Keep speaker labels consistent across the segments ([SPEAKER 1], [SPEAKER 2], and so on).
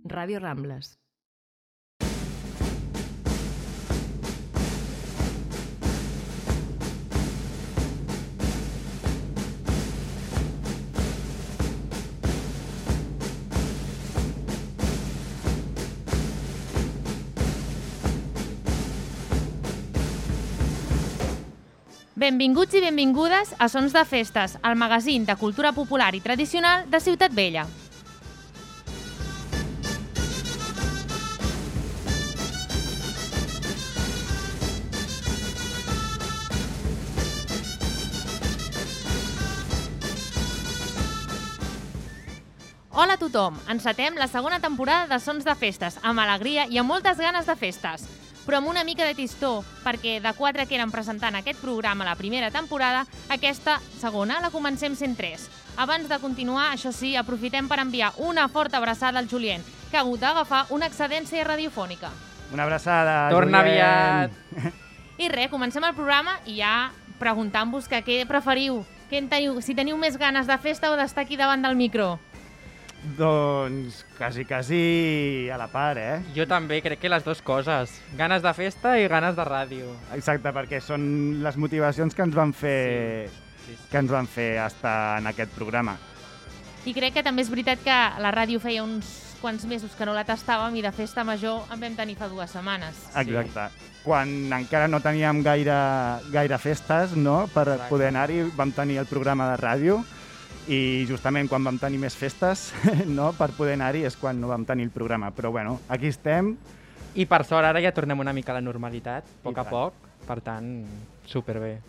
[SPEAKER 1] Ràdio Rambles.
[SPEAKER 2] Benvinguts i benvingudes a Sons de Festes, el magazín de cultura popular i tradicional de Ciutat Vella. Hola a tothom! Encetem la segona temporada de Sons de Festes, amb alegria i amb moltes ganes de festes. Però amb una mica de tristor, perquè de 4 que eren presentant aquest programa la primera temporada, aquesta segona la comencem sent 3. Abans de continuar, això sí, aprofitem per enviar una forta abraçada al Julien, que ha hagut d'agafar una excedència radiofònica.
[SPEAKER 3] Una abraçada,
[SPEAKER 4] Torna
[SPEAKER 3] Julien.
[SPEAKER 4] aviat!
[SPEAKER 2] I res, comencem el programa i ja preguntant-vos que què preferiu, si teniu més ganes de festa o d'estar aquí davant del micro.
[SPEAKER 3] Doncs quasi a la part, eh?
[SPEAKER 4] Jo també crec que les dues coses. Ganes de festa i ganes de ràdio.
[SPEAKER 3] Exacte, perquè són les motivacions que ens van fer,
[SPEAKER 4] Sí.
[SPEAKER 3] que ens van fer estar en aquest programa.
[SPEAKER 2] I crec que també és veritat que la ràdio feia uns quants mesos que no la tastàvem i de festa major en vam tenir fa 2 setmanes.
[SPEAKER 3] Exacte. Quan encara no teníem gaire festes, no?, per
[SPEAKER 4] Exacte.
[SPEAKER 3] poder anar-hi, vam tenir el programa de ràdio i justament quan vam tenir més festes, no?, per poder anar-hi és quan no vam tenir el programa. Però bueno, aquí estem.
[SPEAKER 4] I per sort ara ja tornem una mica a la normalitat, a poc a
[SPEAKER 3] tant.
[SPEAKER 4] poc. Per tant, superbé.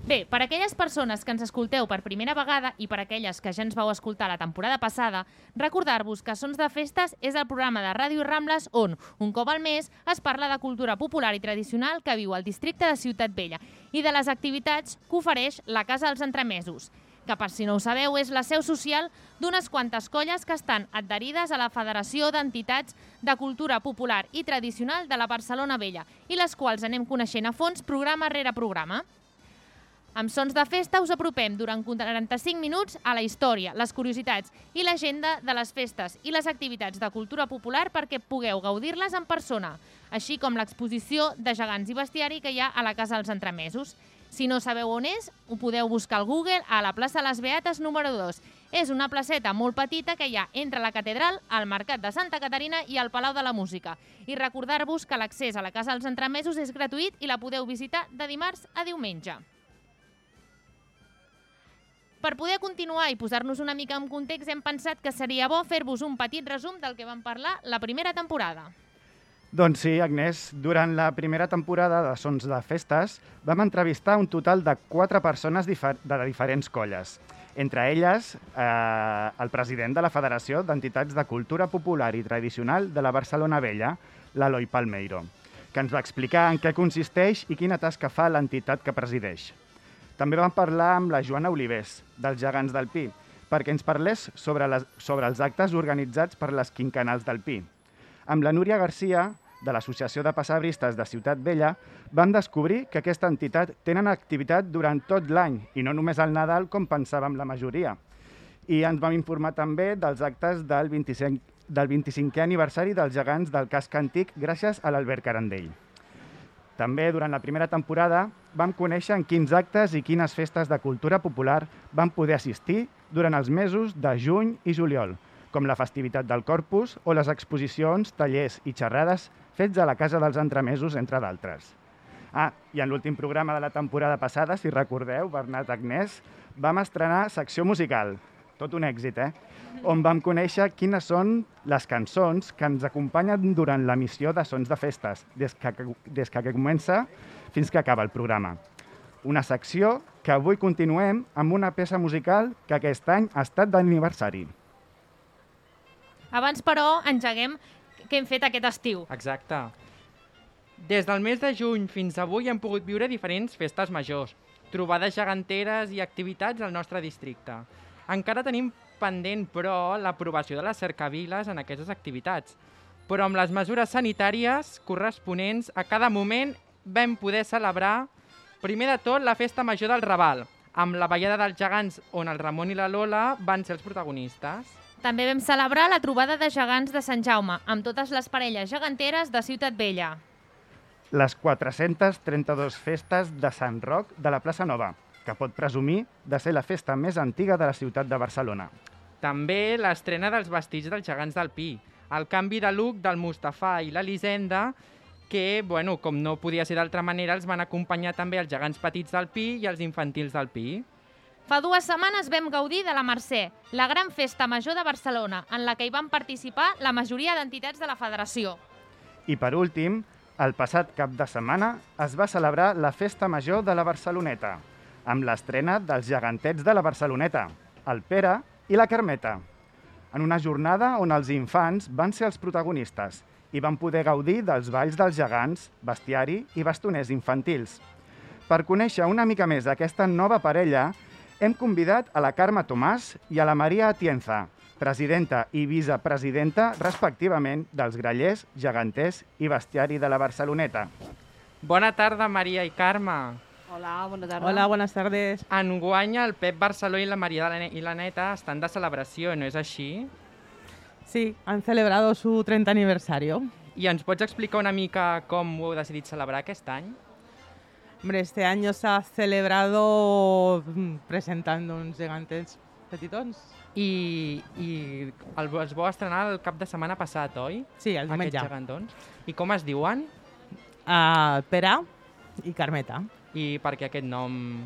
[SPEAKER 2] Bé, per aquelles persones que ens escolteu per primera vegada i per aquelles que ja ens vau escoltar la temporada passada, recordar-vos que Sons de Festes és el programa de Ràdio Rambles on, un cop al mes, es parla de cultura popular i tradicional que viu al districte de Ciutat Vella i de les activitats que ofereix la Casa dels Entremesos, que, per si no ho sabeu, és la seu social d'unes quantes colles que estan adherides a la Federació d'Entitats de Cultura Popular i Tradicional de la Barcelona Vella i les quals anem coneixent a fons programa rere programa. Amb Sons de Festa us apropem durant 45 minuts a la història, les curiositats i l'agenda de les festes i les activitats de cultura popular perquè pugueu gaudir-les en persona, així com l'exposició de gegants i bestiari que hi ha a la Casa dels Entremesos. Si no sabeu on és, ho podeu buscar al Google a la plaça Les Beates número 2. És una placeta molt petita que hi ha entre la catedral, el Mercat de Santa Caterina i el Palau de la Música. I recordar-vos que l'accés a la Casa dels Entremesos és gratuït i la podeu visitar de dimarts a diumenge. Per poder continuar i posar-nos una mica en context, hem pensat que seria bo fer-vos un petit resum del que vam parlar la primera temporada.
[SPEAKER 3] Doncs sí, Agnès, durant la primera temporada de Sons de Festes vam entrevistar un total de 4 persones de diferents colles. Entre elles, el president de la Federació d'Entitats de Cultura Popular i Tradicional de la Barcelona Vella, l'Eloi Palmeiro, que ens va explicar en què consisteix i quina tasca fa l'entitat que presideix. També vam parlar amb la Joana Olivés, dels Gegants del Pi, perquè ens parlés sobre els actes organitzats per les quinquennals del Pi. Amb la Núria Garcia, de l'Associació de Pessebristes de Ciutat Vella, vam descobrir que aquesta entitat tenen activitat durant tot l'any i no només al Nadal, com pensàvem la majoria. I ens vam informar també dels actes del 25è aniversari dels gegants del casc antic gràcies a l'Albert Carandell. També, durant la primera temporada, vam conèixer en quins actes i quines festes de cultura popular vam poder assistir durant els mesos de juny i juliol, com la festivitat del Corpus o les exposicions, tallers i xerrades fets a la Casa dels Entremesos, entre d'altres. I en l'últim programa de la temporada passada, si recordeu, Bernat Agnès, vam estrenar secció musical, tot un èxit, on vam conèixer quines són les cançons que ens acompanyen durant l'emissió de Sons de Festes, des que comença fins que acaba el programa. Una secció que avui continuem amb una peça musical que aquest any ha estat d'aniversari.
[SPEAKER 2] Abans, però, engeguem què hem fet aquest estiu.
[SPEAKER 4] Exacte. Des del mes de juny fins avui hem pogut viure diferents festes majors, trobades geganteres i activitats al nostre districte. Encara tenim pendent, però, l'aprovació de les cercaviles en aquestes activitats. Però amb les mesures sanitàries corresponents, a cada moment vam poder celebrar, primer de tot, la festa major del Raval, amb la ballada dels gegants on el Ramon i la Lola van ser els protagonistes.
[SPEAKER 2] També vam celebrar la trobada de gegants de Sant Jaume, amb totes les parelles geganteres de Ciutat Vella.
[SPEAKER 3] Les 432 festes de Sant Roc de la Plaça Nova, que pot presumir de ser la festa més antiga de la ciutat de Barcelona.
[SPEAKER 4] També l'estrena dels vestits dels gegants del Pi, el canvi de look del Mustafà i l'Elisenda, que, bueno, com no podia ser d'altra manera, els van acompanyar també els gegants petits del Pi i els infantils del Pi.
[SPEAKER 2] Fa 2 setmanes vam gaudir de la Mercè, la gran festa major de Barcelona, en la que hi van participar la majoria d'entitats de la federació.
[SPEAKER 3] I per últim, el passat cap de setmana es va celebrar la Festa Major de la Barceloneta, amb l'estrena dels gegantets de la Barceloneta, el Pere i la Carmeta, en una jornada on els infants van ser els protagonistes i van poder gaudir dels balls dels gegants, bestiari i bastoners infantils. Per conèixer una mica més aquesta nova parella, hem convidat a la Carme Tomàs i a la Maria Atienza, presidenta i vicepresidenta, respectivament, dels grallers, geganters i bestiari de la Barceloneta.
[SPEAKER 4] Bona tarda, Maria i Carme.
[SPEAKER 1] Hola, bona tarda.
[SPEAKER 5] Hola, buenas tardes.
[SPEAKER 4] Enguany el Pep Barceló i la Maria i la Neta estan de celebració, no és així?
[SPEAKER 5] Sí, han celebrado su 30 aniversario.
[SPEAKER 4] I ens pots explicar una mica com ho heu decidit celebrar aquest any?
[SPEAKER 5] Hombre, este año se ha celebrado presentando uns gegantets petitons.
[SPEAKER 4] I els vau estrenar el cap de setmana passat, oi?
[SPEAKER 5] Sí, el diumenge.
[SPEAKER 4] Aquests gegantons. I com es diuen?
[SPEAKER 5] Pere i Carmeta.
[SPEAKER 4] I per què aquest nom?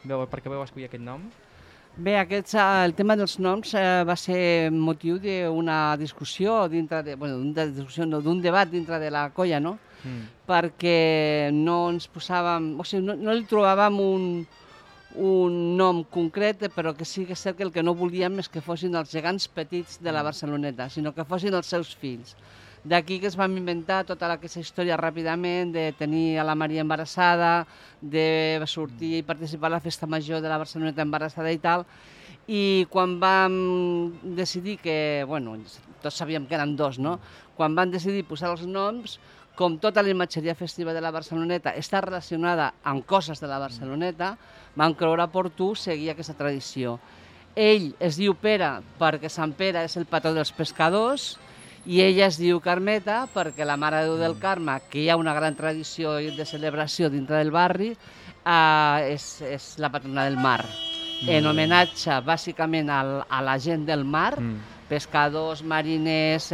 [SPEAKER 4] Per què vau escollir aquest nom?
[SPEAKER 1] Bé, el tema dels noms va ser motiu d'una discussió d'un debat dintre de la colla, no? Perquè no ens posàvem, o sigui, no li trobàvem un nom concret, però que sí que és cert que el que no volíem és que fossin els gegants petits de la Barceloneta, sinó que fossin els seus fills. D'aquí que es vam inventar tota aquesta història ràpidament, de tenir a la Maria embarassada, de sortir i participar a la festa major de la Barceloneta embarassada i tal, i quan vam decidir que, bueno, tots sabíem que eren 2, no? Quan vam decidir posar els noms, com tota la imatgeria festiva de la Barceloneta està relacionada amb coses de la Barceloneta, vam creure oportú seguir aquesta tradició. Ell es diu Pere perquè Sant Pere és el patró dels pescadors, i ella es diu Carmeta perquè la Mare de Déu del Carme, que hi ha una gran tradició de celebració dintre del barri, és la patrona del mar. En homenatge bàsicament a la gent del mar, pescadors, mariners,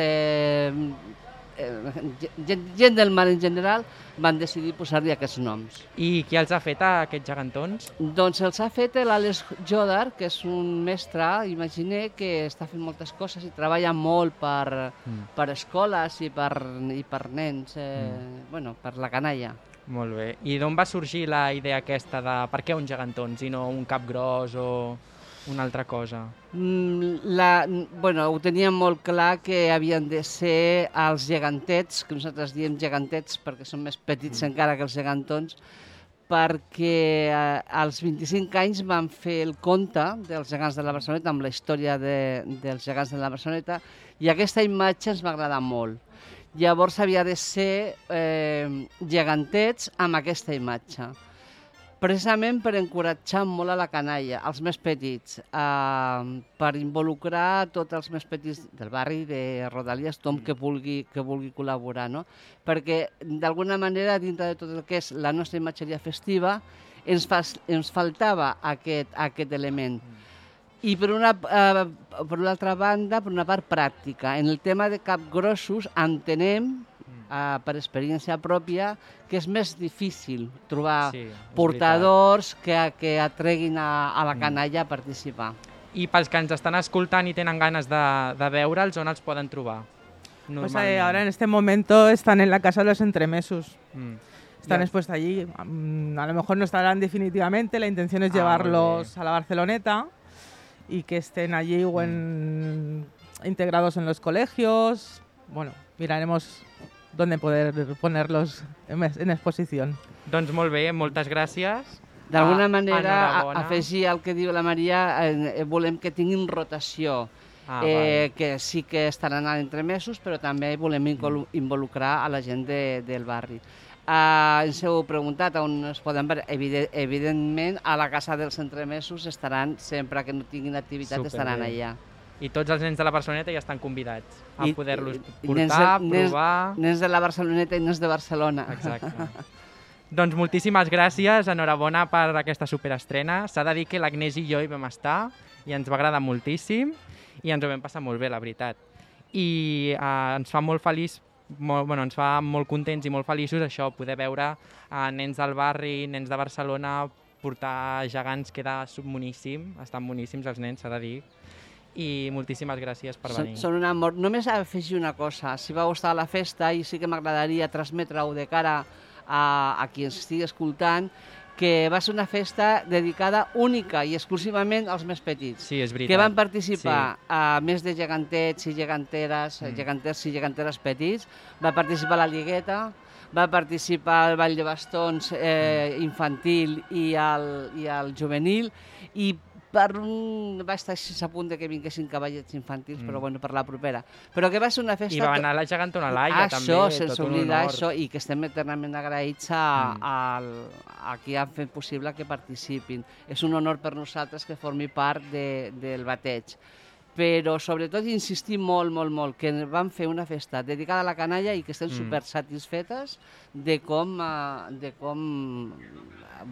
[SPEAKER 1] gent del mar en general, van decidir posar-li aquests noms.
[SPEAKER 4] I qui els ha fet, aquests gegantons?
[SPEAKER 1] Doncs els ha fet l'Àlex Jodar, que és un mestre, imaginer, que està fent moltes coses i treballa molt per escoles i per nens, bueno, per la canalla.
[SPEAKER 4] Molt bé. I d'on va sorgir la idea aquesta de per què uns gegantons i no un cap gros o una altra cosa?
[SPEAKER 1] Ho teníem molt clar que havien de ser els gegantets, que nosaltres diem gegantets perquè són més petits encara que els gegantons, perquè als 25 anys vam fer el conte dels gegants de la Barceloneta, amb la història dels gegants de la Barceloneta, i aquesta imatge ens va agradar molt. Llavors havia de ser gegantets amb aquesta imatge. Precisament per encoratjar molt a la canalla, als més petits, per involucrar tots els més petits del barri, de Rodalies, tothom que vulgui col·laborar, no? Perquè, d'alguna manera, dintre de tot el que és la nostra imatgeria festiva, ens faltava aquest element. I per una altra banda, per una part pràctica, en el tema de capgrossos entenem, per experiència pròpia, que és més difícil trobar portadors que atreguin a la canalla a participar.
[SPEAKER 4] I pels que ens estan escoltant i tenen ganes de veure'ls, on els poden trobar?
[SPEAKER 5] Pues ahora en este momento están en la Casa de los Entremesos. Están expuestos allí. A lo mejor no estarán definitivamente, la intención es llevarlos a la Barceloneta y que estén allí o integrados en los colegios. Bueno, miraremos dónde poder ponerlos en exposición.
[SPEAKER 4] Doncs molt bé, moltes gràcies.
[SPEAKER 1] D'alguna manera, afegir el que diu la Maria, volem que tinguin rotació, que sí que estaran a entremesos, però també volem involucrar a la gent del barri. Ens heu preguntat on es poden veure. Evidentment, a la Casa dels Entremesos estaran, sempre que no tinguin activitat, estaran allà.
[SPEAKER 4] I tots els nens de la Barceloneta ja estan convidats a poder-los
[SPEAKER 1] I
[SPEAKER 4] portar, provar...
[SPEAKER 1] Nens de la Barceloneta i nens de Barcelona.
[SPEAKER 4] Exacte. Doncs moltíssimes gràcies, enhorabona per aquesta superestrena. S'ha de dir que l'Agnès i jo hi vam estar i ens va agradar moltíssim i ens ho vam passar molt bé, la veritat. I ens fa molt feliç, ens fa molt contents i molt feliços això, poder veure nens del barri, nens de Barcelona, portar gegants, queda boníssim, estan boníssims els nens, s'ha de dir. I moltíssimes gràcies per venir.
[SPEAKER 1] Són un amor. Només afegir una cosa, si va gustar la festa i sí que m'agradaria transmetre-ho de cara a qui ens estigui escoltant, que va ser una festa dedicada única i exclusivament als més petits.
[SPEAKER 4] Sí, és veritat.
[SPEAKER 1] Que van participar a més de gegantets i geganteres, geganters i geganteres petits, va participar la Lligueta, va participar al Ball de Bastons infantil i al juvenil, i va estar així a punt que vinguessin cavallets infantils, però bueno, per la propera. Però que va ser una festa...
[SPEAKER 4] I va anar la gegantona Laia, també,
[SPEAKER 1] això, sense oblidar
[SPEAKER 4] honor.
[SPEAKER 1] això, i que estem eternament agraïts a qui han fet possible que participin. És un honor per nosaltres que formi part del bateig. Però sobretot insistir molt, molt, molt, que vam fer una festa dedicada a la canalla i que estem super satisfetes de com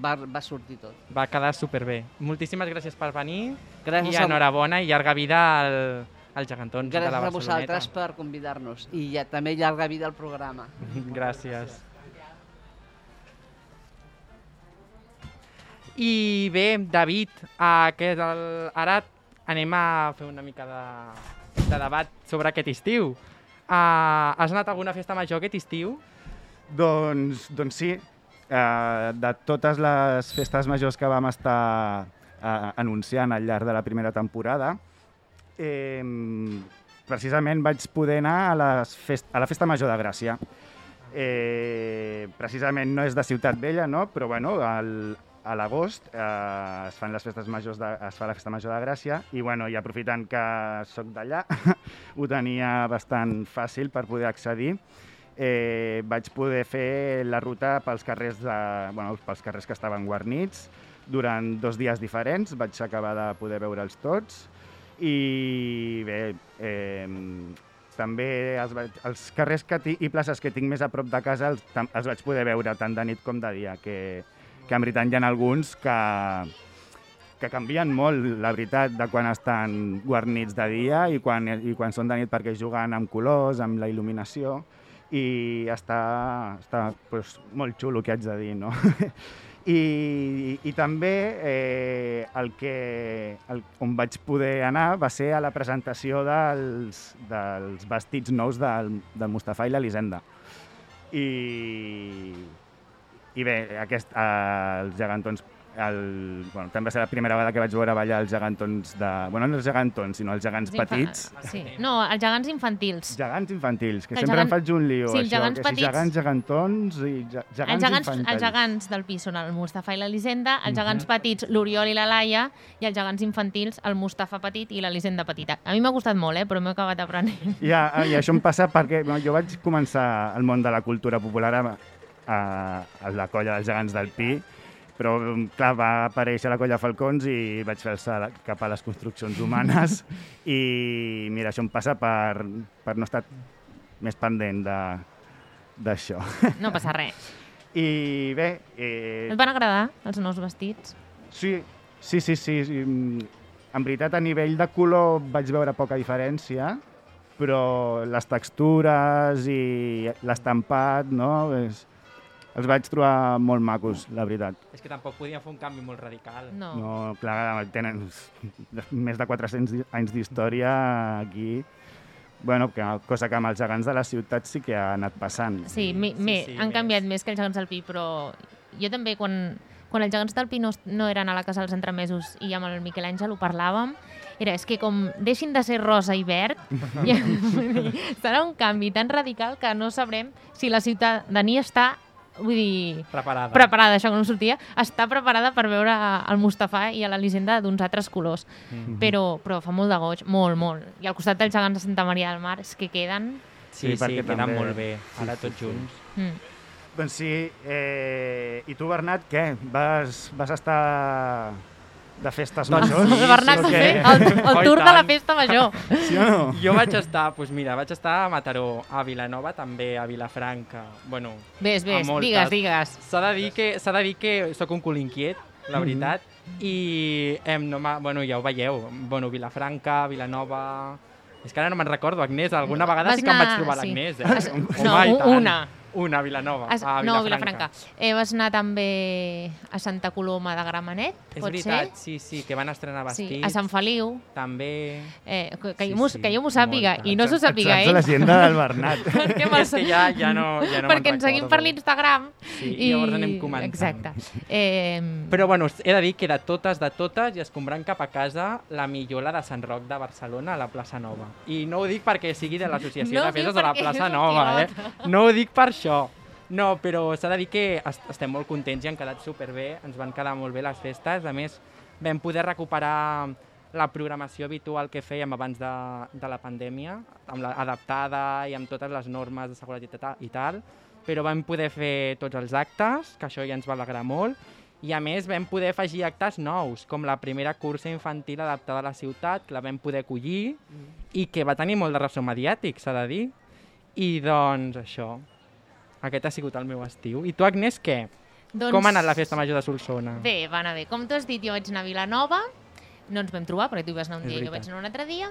[SPEAKER 1] va sortir tot.
[SPEAKER 4] Va quedar superbé. Moltíssimes gràcies per venir
[SPEAKER 1] Gràcies
[SPEAKER 4] i enhorabona i llarga vida als gegantons de la Barceloneta.
[SPEAKER 1] Gràcies a vosaltres per convidar-nos i també llarga vida al programa.
[SPEAKER 4] Gràcies. I bé, David, ara anem a fer una mica de debat sobre aquest estiu. Has anat a alguna festa major aquest estiu?
[SPEAKER 3] Doncs sí. De totes les festes majors que vam estar anunciant al llarg de la primera temporada, precisament vaig poder anar a la Festa Major de Gràcia. Precisament no és de Ciutat Vella, no? Però bueno, a l'agost es fan les festes majors es fa la Festa Major de Gràcia i, bueno, i aprofitant que soc d'allà, ho tenia bastant fàcil per poder accedir. Vaig poder fer la ruta pels carrers que estaven guarnits durant 2 dies diferents. Vaig acabar de poder veure'ls tots i bé, també els carrers i places que tinc més a prop de casa els vaig poder veure tant de nit com de dia, que en veritat hi ha alguns que canvien molt, la veritat, de quan estan guarnits de dia i quan són de nit, perquè juguen amb colors, amb la il·luminació, i està doncs, molt xulo, que haig de dir, no? I també on vaig poder anar va ser a la presentació dels vestits nous del Mustafà i l'Elisenda. I bé, els gegantons... també va ser la primera vegada que vaig veure ballar els gegantons no els gegantons, sinó els gegants petits.
[SPEAKER 2] Sí. No, els gegants infantils.
[SPEAKER 3] Gegants infantils, que sempre em faig un lío,
[SPEAKER 2] sí,
[SPEAKER 3] això, que si gegants, gegantons i gegants infantils.
[SPEAKER 2] Els gegants del pis són el Mustafà i l'Elisenda, els gegants petits, l'Oriol i la Laia, i els gegants infantils, el Mustafà petit i l'Elisenda petita. A mi m'ha gustat molt, però m'he acabat aprenent.
[SPEAKER 3] I això em passa perquè jo vaig començar al món de la cultura popular a la colla dels gegants del Pi, però, clar, va aparèixer la colla Falcons i vaig fer el salt cap a les construccions humanes i, mira, això em passa per no estar més pendent d'això.
[SPEAKER 2] No passa res.
[SPEAKER 3] I bé...
[SPEAKER 2] Et van agradar els nous vestits?
[SPEAKER 3] Sí. En veritat, a nivell de color vaig veure poca diferència, però les textures i l'estampat, no?, els vaig trobar molt macos, la veritat.
[SPEAKER 4] És que tampoc podien fer un canvi molt radical.
[SPEAKER 2] No,
[SPEAKER 3] clar, tenen més de 400 anys d'història aquí. Bueno, cosa que amb els gegants de la ciutat sí que ha anat passant.
[SPEAKER 2] Sí, han canviat més que els gegants del Pi, però jo també, quan els gegants del Pi no eren a la casa dels entremesos i amb el Miquel Àngel ho parlàvem, és que com deixin de ser rosa i verd, serà un canvi tan radical que no sabrem si la ciutadania està preparada, això que no sortia, està preparada per veure el Mustafà i l'Elisenda d'uns altres colors. Però fa molt de goig, molt, molt. I al costat dels gegants de Santa Maria del Mar és que queden...
[SPEAKER 4] Sí, queden molt bé, ara tots junts.
[SPEAKER 3] Doncs sí, i tu, Bernat, què? Vas estar de festes
[SPEAKER 4] Doncs
[SPEAKER 3] majors.
[SPEAKER 4] sí,
[SPEAKER 2] El Bernat va
[SPEAKER 3] o què?
[SPEAKER 2] fer el
[SPEAKER 4] Oh,
[SPEAKER 2] tour
[SPEAKER 4] i
[SPEAKER 2] de la
[SPEAKER 4] tant.
[SPEAKER 2] festa major.
[SPEAKER 3] Sí o no?
[SPEAKER 4] Jo vaig estar a Mataró, a Vilanova també, a Vilafranca, bueno,
[SPEAKER 2] Ves,
[SPEAKER 4] a moltes.
[SPEAKER 2] digues.
[SPEAKER 4] S'ha de dir que sóc un cul inquiet, la veritat, i bueno, ja ho veieu, bueno, Vilafranca, Vilanova... És que ara no me'n recordo, Agnès, alguna vegada
[SPEAKER 2] Vas
[SPEAKER 4] sí que em vaig
[SPEAKER 2] anar-
[SPEAKER 4] trobar
[SPEAKER 2] sí.
[SPEAKER 4] l'Agnès,
[SPEAKER 2] No,
[SPEAKER 4] i tant.
[SPEAKER 2] una.
[SPEAKER 4] Una, a Vilanova,
[SPEAKER 2] No, Vilafranca. Vas anar també a Santa Coloma de Gramenet,
[SPEAKER 4] És
[SPEAKER 2] pot
[SPEAKER 4] veritat,
[SPEAKER 2] ser?
[SPEAKER 4] sí, que van estrenar
[SPEAKER 2] Sí,
[SPEAKER 4] vestits.
[SPEAKER 2] a Sant Feliu.
[SPEAKER 4] També...
[SPEAKER 2] Que jo m'ho sàpiga,
[SPEAKER 4] moltes.
[SPEAKER 2] i no s'ho sàpiga
[SPEAKER 3] Saps
[SPEAKER 2] ell.
[SPEAKER 3] l'agenda del Bernat.
[SPEAKER 2] Perquè
[SPEAKER 4] És que ja no
[SPEAKER 2] perquè ens seguim per l'Instagram.
[SPEAKER 4] Sí, i llavors anem comentant.
[SPEAKER 2] Exacte.
[SPEAKER 4] Però bueno, he de dir que de totes, i escombrant cap a casa, la millor la de Sant Roc de Barcelona, a la plaça Nova. I no ho dic perquè sigui de l'associació
[SPEAKER 2] No ho
[SPEAKER 4] de festes
[SPEAKER 2] dic
[SPEAKER 4] de la
[SPEAKER 2] perquè
[SPEAKER 4] plaça
[SPEAKER 2] és un
[SPEAKER 4] Nova,
[SPEAKER 2] pilot.
[SPEAKER 4] No ho dic per això. No, però s'ha de dir que estem molt contents i han quedat superbé, ens van quedar molt bé les festes. A més, vam poder recuperar la programació habitual que fèiem abans de la pandèmia, adaptada i amb totes les normes de seguretat i tal, però vam poder fer tots els actes, que això ja ens va alegrar molt, i a més vam poder afegir actes nous, com la primera cursa infantil adaptada a la ciutat, que la vam poder acollir i que va tenir molt de ressò mediàtic, s'ha de dir. I doncs això, aquest ha sigut el meu estiu. I tu, Agnès, què?
[SPEAKER 2] Doncs...
[SPEAKER 4] Com ha anat la festa major de Solsona?
[SPEAKER 2] Bé, va anar bé. Com tu has dit, jo vaig anar a Vilanova, no ens vam trobar, perquè tu hi vas anar un
[SPEAKER 4] És
[SPEAKER 2] dia i jo
[SPEAKER 4] veritat.
[SPEAKER 2] vaig anar un altre dia.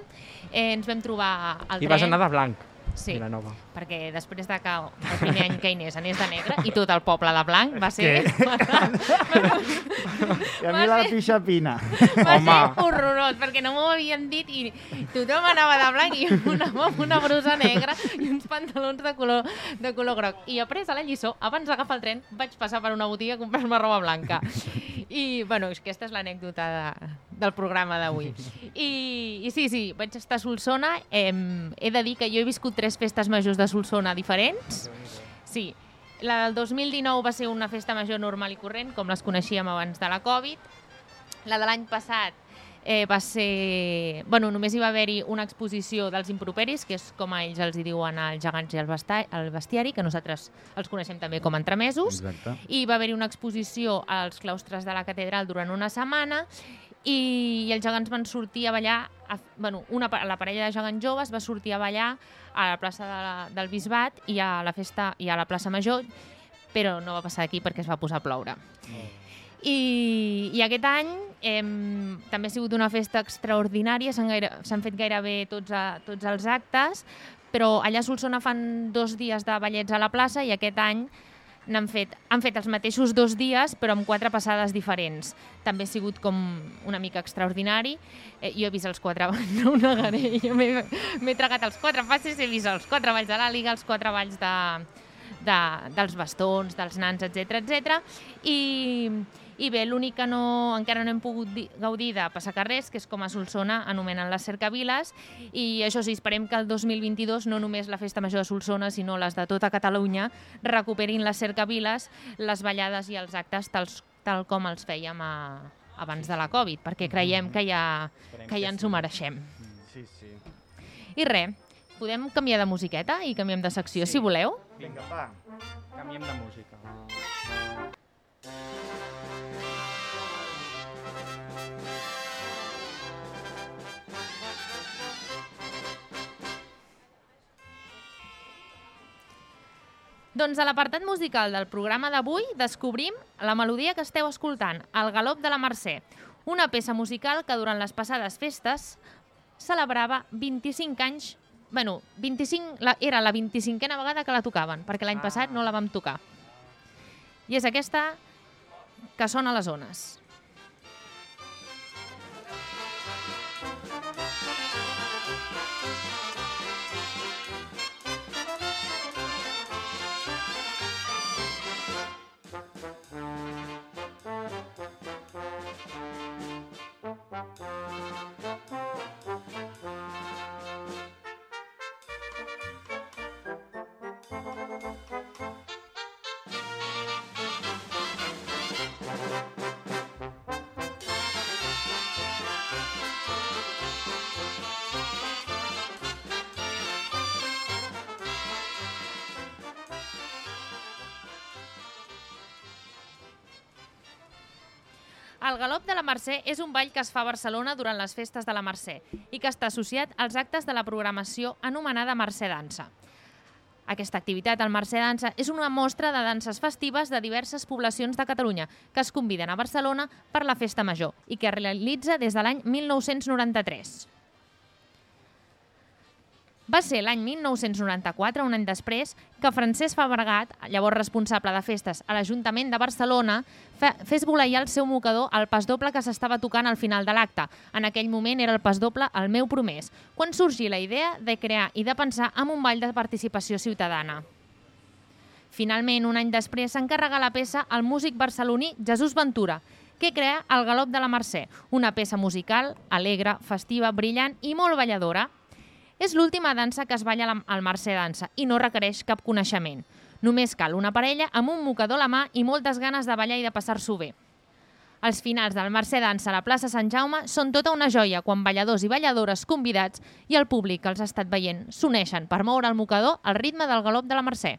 [SPEAKER 2] Ens vam trobar al tren.
[SPEAKER 4] I vas anar de blanc,
[SPEAKER 2] Sí,
[SPEAKER 4] Vilanova.
[SPEAKER 2] perquè després de que el primer any que Inés anés de negre i tot el poble de blanc va ser...
[SPEAKER 3] I a mi la pixapina.
[SPEAKER 2] Va
[SPEAKER 4] Home.
[SPEAKER 2] ser horrorós, perquè no m'ho havien dit i tothom anava de blanc i jo anava amb una brusa negra i uns pantalons de color groc. I après a la lliçó, abans d'agafar el tren, vaig passar per una botiga a comprar-me roba blanca. I, bueno, aquesta és l'anècdota del programa d'avui. I sí, vaig estar a Solsona. He de dir que jo he viscut 3 festes majors de Solsona diferents. Sí, la del 2019 va ser una festa major normal i corrent, com les coneixíem abans de la Covid. La de l'any passat va ser... Bueno, només hi va haver-hi una exposició dels improperis, que és com a ells els hi diuen els gegants i el bestiari, que nosaltres els coneixem també com a entremesos.
[SPEAKER 3] Exacte.
[SPEAKER 2] I va haver-hi una exposició als claustres de la catedral durant una setmana i els gegants van sortir a ballar, la parella de gegants joves va sortir a ballar a la plaça del Bisbat i a la festa i a la plaça Major, però no va passar aquí perquè es va posar a ploure. I aquest any també ha sigut una festa extraordinària, s'han fet gairebé tots els actes, però allà a Solsona fan 2 dies de ballets a la plaça i aquest any han fet els mateixos 2 dies però amb 4 passades diferents. També ha sigut com una mica extraordinari. Jo he vist els 4 balls, no ho negaré, jo m'he tragat els 4 passes, he vist els 4 balls de l'àliga, els 4 balls dels bastons, dels nans, etc. I bé, l'únic que encara no hem pogut gaudir de passacarrers, que és com a Solsona anomenen les cercaviles, i això sí, esperem que el 2022 no només la festa major de Solsona, sinó les de tota Catalunya recuperin les cercaviles, les ballades i els actes tal com els fèiem abans de la Covid, perquè creiem que ja ens ho mereixem.
[SPEAKER 3] Sí.
[SPEAKER 2] I res, podem canviar de musiqueta i canviem de secció, si voleu?
[SPEAKER 3] Vinga, va.
[SPEAKER 4] Canviem de música.
[SPEAKER 2] Doncs a l'apartat musical del programa d'avui descobrim la melodia que esteu escoltant, El galop de la Mercè, una peça musical que durant les passades festes celebrava 25 anys, era la 25a vegada que la tocaven, perquè l'any passat no la vam tocar. I és aquesta que sona a les ones. El galop de la Mercè és un ball que es fa a Barcelona durant les festes de la Mercè i que està associat als actes de la programació anomenada Mercè Dansa. Aquesta activitat, el Mercè Dansa, és una mostra de danses festives de diverses poblacions de Catalunya que es conviden a Barcelona per la Festa Major i que es realitza des de l'any 1993. Va ser l'any 1994, un any després, que Francesc Fabregat, llavors responsable de festes a l'Ajuntament de Barcelona, fes voleiar el seu mocador al pasdoble que s'estava tocant al final de l'acte. En aquell moment era el pasdoble El meu promès, quan sorgí la idea de crear i de pensar en un ball de participació ciutadana. Finalment, un any després, s'encarregà la peça al músic barceloní Jesús Ventura, que crea el Galop de la Mercè, una peça musical alegre, festiva, brillant i molt balladora. És l'última dansa que es balla al Mercè Dansa i no requereix cap coneixement. Només cal una parella amb un mocador a la mà i moltes ganes de ballar i de passar-s'ho bé. Els finals del Mercè Dansa a la plaça Sant Jaume són tota una joia quan balladors i balladores convidats i el públic que els ha estat veient s'uneixen per moure el mocador al ritme del galop de la Mercè.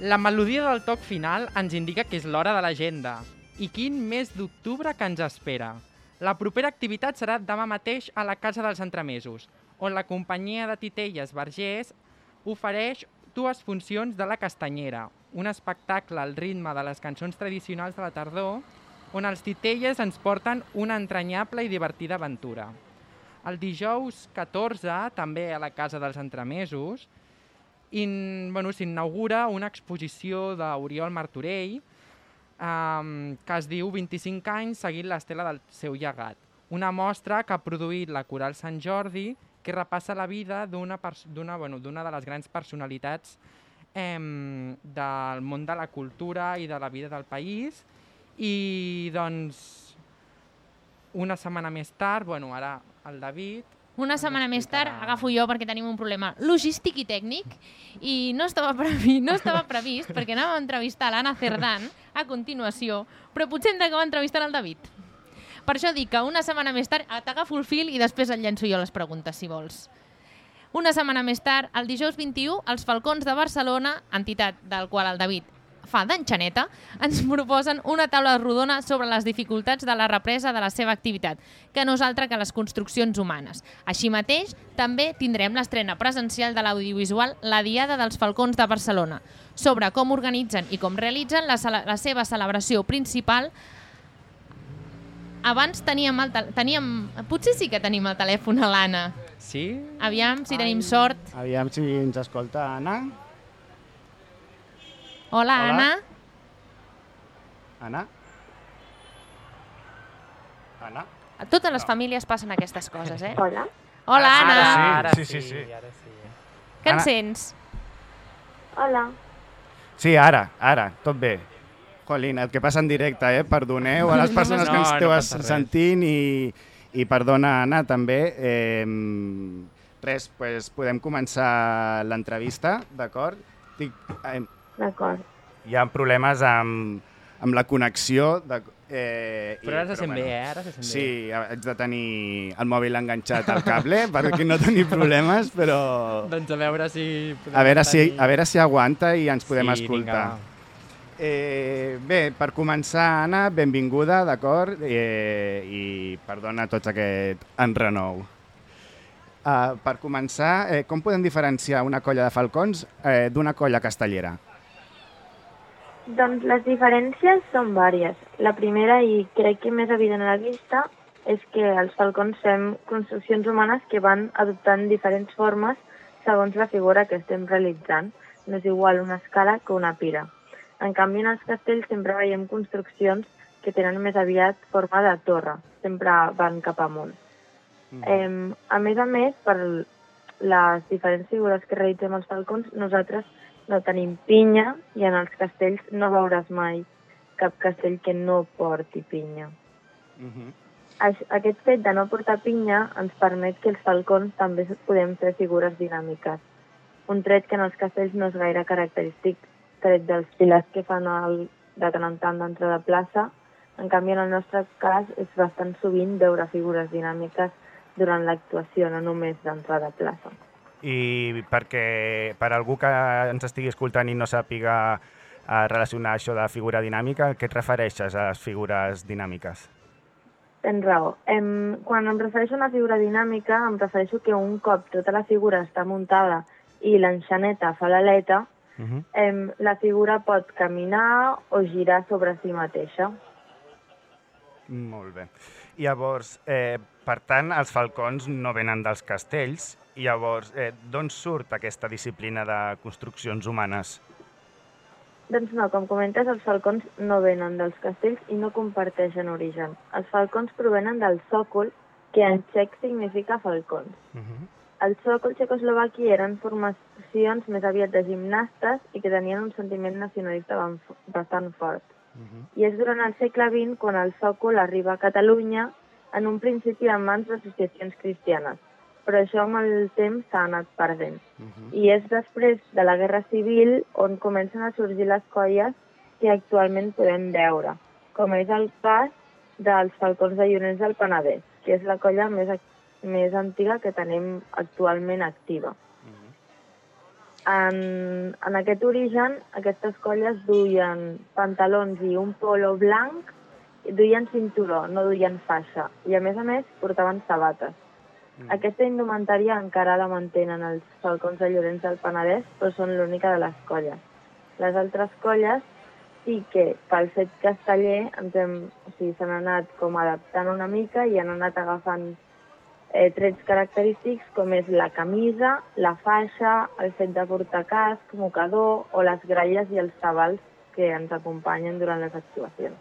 [SPEAKER 4] La melodia del toc final ens indica que és l'hora de l'agenda. I quin mes d'octubre que ens espera. La propera activitat serà demà mateix a la Casa dels Entremesos, on la companyia de titelles Vergés ofereix 2 funcions de la Castanyera, un espectacle al ritme de les cançons tradicionals de la tardor, on els titelles ens porten una entranyable i divertida aventura. El dijous 14, també a la Casa dels Entremesos, s'inaugura una exposició d'Oriol Martorell que es diu 25 anys seguint l'estela del seu llegat. Una mostra que ha produït la Coral Sant Jordi que repassa la vida d'una de les grans personalitats del món de la cultura i de la vida del país. I doncs una setmana més tard, ara el David...
[SPEAKER 2] Una setmana més tard agafo jo perquè tenim un problema logístic i tècnic i no estava previst perquè anàvem a entrevistar l'Anna Cerdán a continuació, però potser hem d'acabar entrevistant el David. Per això dic que una setmana més tard t'agafo el fil i després et llenço jo les preguntes, si vols. Una setmana més tard, el dijous 21, els Falcons de Barcelona, entitat del qual el David fa d'enxaneta, ens proposen una taula rodona sobre les dificultats de la represa de la seva activitat, que no és altra que les construccions humanes. Així mateix, també tindrem l'estrena presencial de l'audiovisual La Diada dels Falcons de Barcelona, sobre com organitzen i com realitzen la seva celebració principal. Abans potser sí que tenim el telèfon a l'Anna.
[SPEAKER 4] Sí?
[SPEAKER 2] Aviam si tenim sort.
[SPEAKER 3] Aviam si ens escolta, Anna.
[SPEAKER 2] Hola, Anna.
[SPEAKER 3] Anna? Anna?
[SPEAKER 2] A totes les famílies passen aquestes coses, eh?
[SPEAKER 6] Hola.
[SPEAKER 2] Hola, Anna.
[SPEAKER 4] Ara sí.
[SPEAKER 2] Què en sents?
[SPEAKER 6] Hola.
[SPEAKER 3] Sí, ara, tot bé. Jolín, el que passa en directe, perdoneu a les persones que ens esteu sentint i perdona, Anna, també. Res, doncs podem començar l'entrevista, d'acord?
[SPEAKER 6] D'acord.
[SPEAKER 3] Hi ha problemes amb la connexió.
[SPEAKER 4] Però ara se sent bé, Ara se sent bé.
[SPEAKER 3] Sí, haig de tenir el mòbil enganxat al cable perquè no tenir problemes, però...
[SPEAKER 4] Doncs a veure si...
[SPEAKER 3] A veure si aguanta i ens podem escoltar.
[SPEAKER 4] Vinga,
[SPEAKER 3] bé, per començar, Anna, benvinguda, d'acord? I perdona tots aquest enrenou. Per començar, com podem diferenciar una colla de falcons d'una colla castellera?
[SPEAKER 6] Doncs les diferències són vàries. La primera, i crec que més evident a la vista, és que els falcons fem construccions humanes que van adoptant diferents formes segons la figura que estem realitzant. No és igual una escala que una pira. En canvi, en els castells sempre veiem construccions que tenen més aviat forma de torre. Sempre van cap amunt. A més, per les diferents figures que realitzem els falcons, nosaltres no tenim pinya i en els castells no veuràs mai cap castell que no porti pinya. Aquest fet de no portar pinya ens permet que els falcons també podem fer figures dinàmiques. Un tret que en els castells no és gaire característic, tret dels pilars que fan de tant en tant d'entrada de plaça. En canvi, en el nostre cas, és bastant sovint veure figures dinàmiques durant l'actuació, no només d'entrada a plaça.
[SPEAKER 3] I perquè per algú que ens estigui escoltant i no sàpiga relacionar això de figura dinàmica, a què et refereixes a les figures dinàmiques?
[SPEAKER 6] Tens raó. Quan em refereixo a una figura dinàmica, em refereixo que un cop tota la figura està muntada i l'enxaneta fa l'aleta, la figura pot caminar o girar sobre si mateixa.
[SPEAKER 3] Molt bé. Llavors, per tant, els falcons no venen dels castells. I llavors, d'on surt aquesta disciplina de construccions humanes?
[SPEAKER 6] Doncs no, com comentes, els falcons no venen dels castells i no comparteixen origen. Els falcons provenen del sòcol, que en txec significa falcons. El sòcol txecoslovaquí eren formacions més aviat de gimnastes i que tenien un sentiment nacionalista bastant fort. I és durant el segle XX quan el sòcol arriba a Catalunya, en un principi en mans d'associacions cristianes, però això amb el temps s'ha anat perdent. I és després de la Guerra Civil on comencen a sorgir les colles que actualment podem veure, com és el cas dels falcons de Llorenç del Penedès, que és la colla més antiga que tenim actualment activa. En aquest origen, aquestes colles duien pantalons i un polo blanc, duien cinturó, no duien faixa, i a més portaven sabates. Aquesta indumentària encara la mantenen els falcons de Llorenç del Penedès, però són l'única de les colles. Les altres colles sí que, pel fet casteller, s'han anat com adaptant una mica i han anat agafant trets característics com és la camisa, la faixa, el fet de portar casc, mocador o les gralles i els tabals que ens acompanyen durant les actuacions.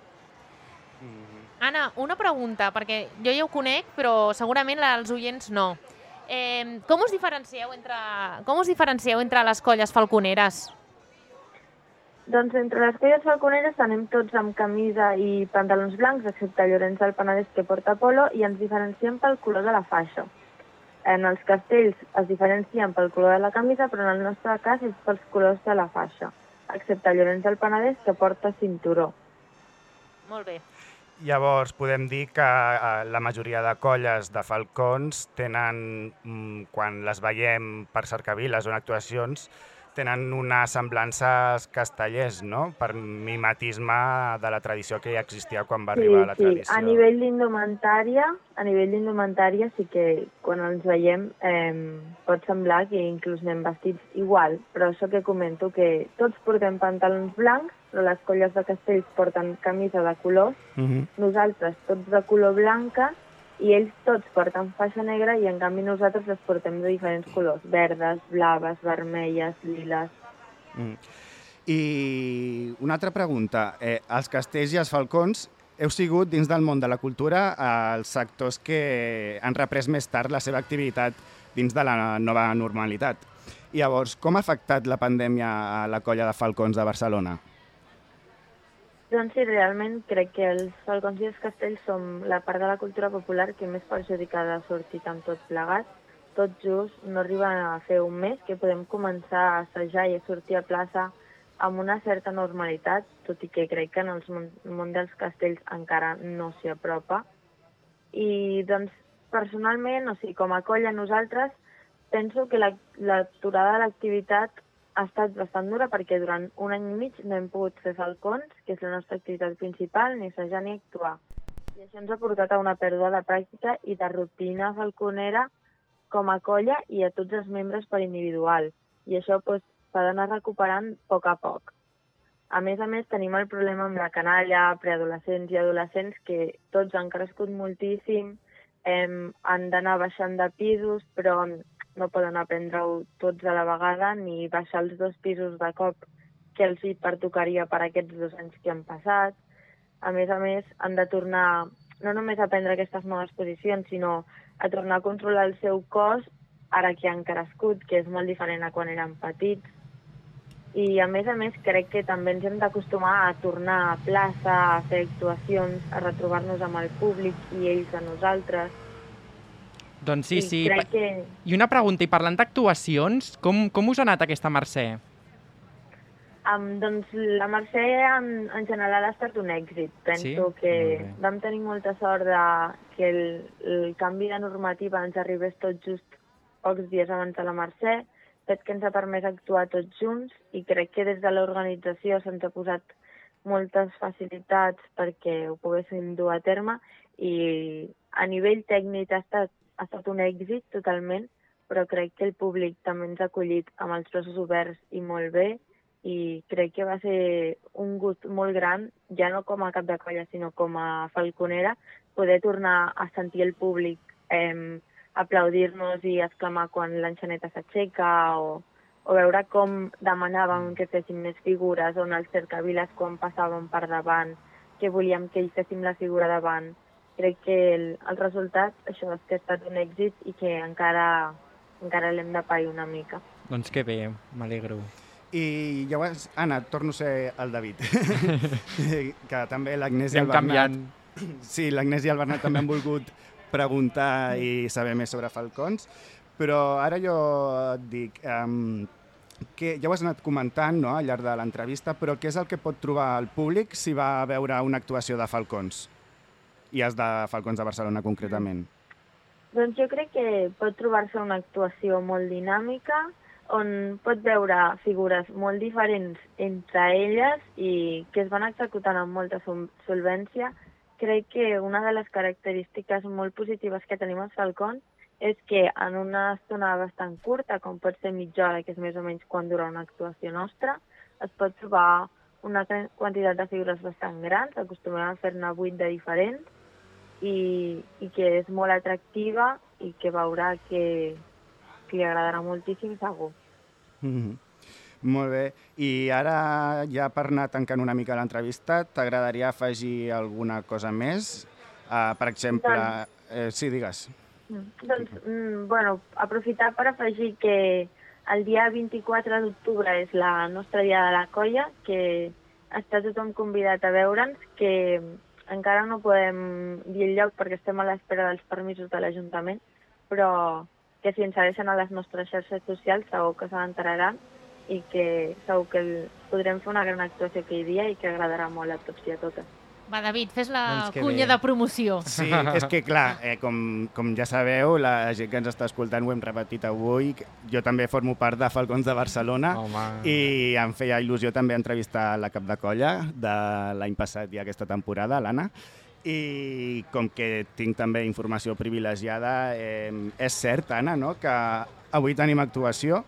[SPEAKER 2] Anna, una pregunta, perquè jo ja ho conec, però segurament els oients no. Com us diferencieu entre les colles falconeres?
[SPEAKER 6] Doncs entre les colles falconeres anem tots amb camisa i pantalons blancs, excepte Llorenç del Penedès que porta polo, i ens diferenciem pel color de la faixa. En els castells es diferencien pel color de la camisa, però en el nostre cas és pels colors de la faixa, excepte Llorenç del Penedès que porta cinturó.
[SPEAKER 2] Molt bé.
[SPEAKER 3] Llavors, podem dir que la majoria de colles de falcons tenen, quan les veiem per cercaviles o en actuacions, tenen unes semblances castellers, no? Per mimetisme de la tradició que ja existia quan va arribar la tradició.
[SPEAKER 6] Sí, a nivell d'indumentària sí que quan ens veiem pot semblar que inclús anem vestits igual, però això que comento, que tots portem pantalons blancs, però les colles de castells porten camisa de colors, nosaltres tots de color blanca, i ells tots porten faixa negra i en canvi nosaltres les portem de diferents colors, verdes, blaves, vermelles, liles.
[SPEAKER 3] I una altra pregunta. Els castells i els falcons heu sigut dins del món de la cultura els sectors que han reprès més tard la seva activitat dins de la nova normalitat. Llavors, com ha afectat la pandèmia a la colla de falcons de Barcelona?
[SPEAKER 6] Doncs sí, realment crec que els falcons i els castells som la part de la cultura popular que més perjudicada ha sortit amb tot plegat. Tot just no arriba a fer un mes que podem començar a assajar i a sortir a plaça amb una certa normalitat, tot i que crec que en el món dels castells encara no s'hi apropa. I doncs personalment, com a colla nosaltres, penso que l'aturada de l'activitat ha estat bastant dura perquè durant un any i mig no hem pogut fer falcons, que és la nostra activitat principal, ni assajar ni actuar. I això ens ha portat a una pèrdua de pràctica i de rutina falconera com a colla i a tots els membres per individual. I això s'ha d'anar recuperant a poc. A més, tenim el problema amb la canalla, preadolescents i adolescents, que tots han crescut moltíssim, han d'anar baixant de pisos, però no poden aprendre-ho tots a la vegada ni baixar els 2 pisos de cop que els hi pertocaria per aquests 2 anys que han passat. A més, han de tornar no només a prendre aquestes noves posicions, sinó a tornar a controlar el seu cos ara que han crescut, que és molt diferent a quan eren petits. I, a més, crec que també ens hem d'acostumar a tornar a plaça, a fer actuacions, a retrobar-nos amb el públic i ells a nosaltres.
[SPEAKER 4] Doncs sí, sí.
[SPEAKER 6] Que...
[SPEAKER 4] I una pregunta, i parlant d'actuacions, com us ha anat aquesta Mercè?
[SPEAKER 6] Doncs la Mercè en general ha estat un èxit. Penso que vam tenir molta sort que el canvi de normativa ens arribés tot just pocs dies abans de la Mercè, fet que ens ha permès actuar tots junts i crec que des de l'organització se'ns ha posat moltes facilitats perquè ho poguéssim dur a terme i a nivell tècnic ha estat un èxit totalment, però crec que el públic també ens ha acollit amb els braços oberts i molt bé i crec que va ser un gust molt gran, ja no com a cap de colla, sinó com a falconera, poder tornar a sentir el públic aplaudir-nos i exclamar quan l'enxaneta s'aixeca o veure com demanàvem que féssim més figures, on els cercaviles quan passàvem per davant, que volíem que ells féssim la figura davant. Crec que el resultat, això és que ha estat un èxit i que encara l'hem de pair una mica.
[SPEAKER 4] Doncs que bé, m'alegro.
[SPEAKER 3] I llavors, Anna, torno a ser el David, que també l'Agnès i el Bernat...
[SPEAKER 4] canviant.
[SPEAKER 3] Sí, l'Agnès i el Bernat també han volgut preguntar i saber més sobre falcons, però ara jo et dic que ja ho has anat comentant, no?, al llarg de l'entrevista, però què és el que pot trobar el públic si va a veure una actuació de falcons? I és de Falcons de Barcelona, concretament.
[SPEAKER 6] Doncs jo crec que pot trobar-se una actuació molt dinàmica, on pot veure figures molt diferents entre elles i que es van executant amb molta solvència. Crec que una de les característiques molt positives que tenim als falcons és que en una estona bastant curta, com pot ser mitja hora, que és més o menys quan dura una actuació nostra, es pot trobar una quantitat de figures bastant grans, acostumem a fer-ne 8 de diferents, i que és molt atractiva i que veurà que li agradarà moltíssim segur.
[SPEAKER 3] Molt bé. I ara, ja per anar tancant una mica l'entrevista, t'agradaria afegir alguna cosa més? Per exemple... Sí, digues.
[SPEAKER 6] Doncs, aprofitar per afegir que el dia 24 d'octubre és la nostra dia de la colla, que està tothom convidat a veure'ns, que encara no podem dir el lloc perquè estem a l'espera dels permisos de l'Ajuntament, però que si ens segueixen a les nostres xarxes socials segur que se n'enteraran i que segur que podrem fer una gran actuació aquell dia i que agradarà molt a tots i a totes.
[SPEAKER 2] Va, David, fes la
[SPEAKER 4] Doncs
[SPEAKER 2] cunya de promoció.
[SPEAKER 3] Sí, és que clar, com ja sabeu, la gent que ens està escoltant ho hem repetit avui, jo també formo part de Falcons de Barcelona.
[SPEAKER 4] Home.
[SPEAKER 3] I em feia il·lusió també entrevistar la cap de colla de l'any passat i aquesta temporada, l'Anna. I com que tinc també informació privilegiada, és cert, Anna, no?, que avui tenim actuació.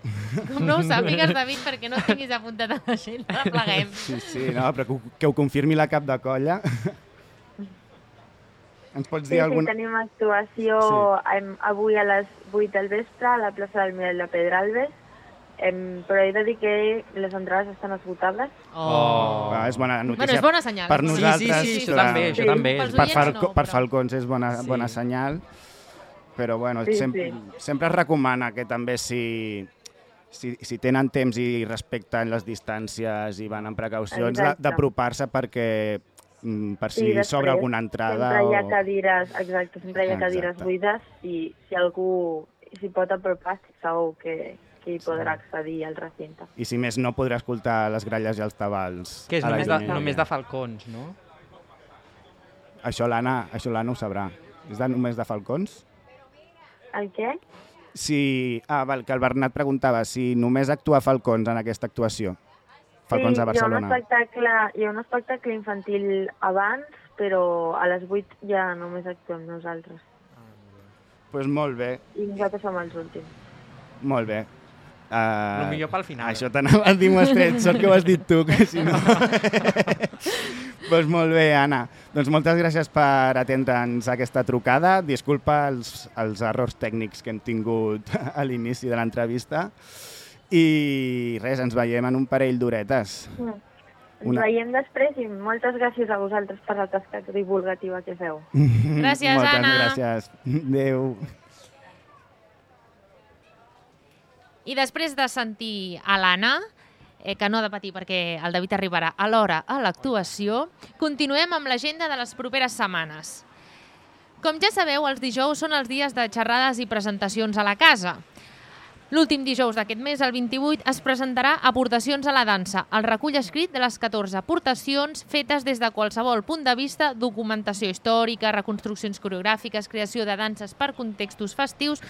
[SPEAKER 2] Com no ho sàpigues, David, perquè no tinguis apuntat a l'agenda, la pleguem.
[SPEAKER 3] Sí, no, però que ho confirmi la cap de colla. Ens pots dir alguna...
[SPEAKER 6] Sí, tenim actuació avui a les 8 del vespre a la plaça del Mirall de Pedralbes, però he de dir que les entrades estan esgotades.
[SPEAKER 3] És bona notícia.
[SPEAKER 2] Bueno, és bona senyal.
[SPEAKER 3] Per nosaltres,
[SPEAKER 4] sí, això també.
[SPEAKER 3] Per Falcons és bona senyal, però bueno, sempre es recomana que també si tenen temps i respecten les distàncies i van amb precaucions, d'apropar-se perquè per si s'obre alguna entrada.
[SPEAKER 6] Sempre hi ha cadires, sempre hi ha cadires buides i si algú s'hi pot apropar, segur que hi podrà accedir al recinte.
[SPEAKER 3] I si més no, podrà escoltar les gralles i els tabals.
[SPEAKER 4] Que és només de falcons, no?
[SPEAKER 3] Això l'Anna ho sabrà. És només de falcons?
[SPEAKER 6] El què?
[SPEAKER 3] Que el Bernat preguntava si només actua falcons en aquesta actuació. Falcons de Barcelona.
[SPEAKER 6] Hi ha un espectacle infantil abans, però a les 8 ja només actuem nosaltres.
[SPEAKER 3] Doncs molt bé.
[SPEAKER 6] I nosaltres som els últims.
[SPEAKER 3] Molt bé.
[SPEAKER 4] El millor pel final.
[SPEAKER 3] Això t'anava a dir, m'ho has tret. Sort que ho has dit tu, que si no... Doncs molt bé, Anna. Doncs moltes gràcies per atendre'ns aquesta trucada. Disculpa els errors tècnics que hem tingut a l'inici de l'entrevista. I res, ens veiem en un parell d'horetes.
[SPEAKER 6] Ens veiem després i moltes gràcies a vosaltres per la tasca divulgativa que feu.
[SPEAKER 2] Gràcies, Anna.
[SPEAKER 3] Moltes gràcies. Adéu.
[SPEAKER 2] I després de sentir a l'Anna, que no ha de patir perquè el David arribarà a l'hora a l'actuació, continuem amb l'agenda de les properes setmanes. Com ja sabeu, els dijous són els dies de xerrades i presentacions a la casa. L'últim dijous d'aquest mes, el 28, es presentarà Aportacions a la dansa, el recull escrit de les 14 aportacions fetes des de qualsevol punt de vista, documentació històrica, reconstruccions coreogràfiques, creació de danses per contextos festius